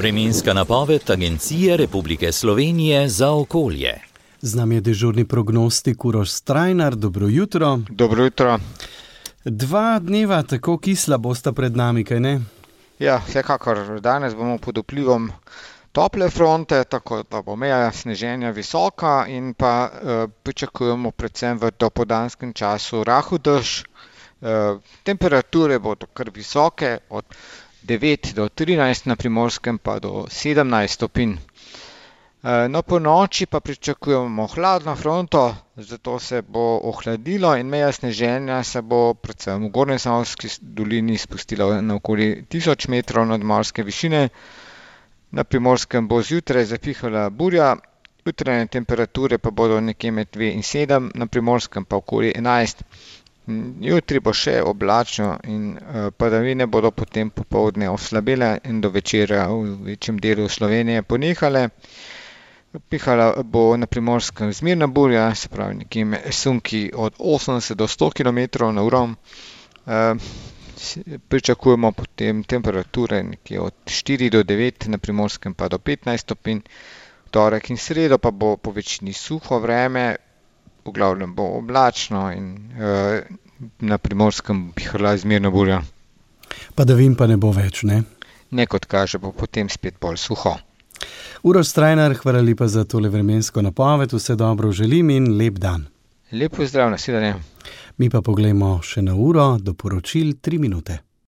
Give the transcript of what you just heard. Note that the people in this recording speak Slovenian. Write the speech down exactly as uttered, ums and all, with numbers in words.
Vremenska napoved Agencije Republike Slovenije za okolje. Z nami je dežurni prognostik Uroš Strajnar. Dobro jutro. Dobro jutro. Dva dneva tako kisla bosta pred nami, kaj ne? Ja, vsekakor. Danes bomo pod vplivom tople fronte, tako da bo meja sneženja visoka in pa eh, pričakujemo predvsem v dopoldanskem času rahel dež. Eh, temperature bodo kar visoke, od devet do trinajst na Primorskem pa do sedemnajst stopinj. No, po noči pa pričakujemo hladno fronto, zato se bo ohladilo in meja sneženja se bo predvsem v Gornjesavski dolini spustila na okoli tisoč metrov nadmorske višine. Na Primorskem bo zjutraj zapihala burja, jutranje temperature pa bodo nekje med dve in sedem, na Primorskem pa okoli enajst. Jutri bo še oblačno in padavine bodo potem popoldne oslabele in do večera v večjem delu Slovenije ponehale. Pihala bo na Primorskem zmerna burja, se pravi nekje med sunki od osemdeset do sto kilometrov na uro. Pričakujemo potem temperature nekje od štiri do devet, na Primorskem pa do petnajst stopinj. Torek in sredo pa bo po večini suho vreme, v glavnem bo oblačno in uh, na Primorskem bo pihala zmerna burja. Padavin pa ne bo več, ne? Ne, kot kaže, bo potem spet bolj suho. Uroš Strajnar, hvala lepa za tole vremensko napoved, vse dobro želim in lep dan. Lep pozdrav, nasvidenje. Mi pa poglejmo še na uro, do poročil tri minute.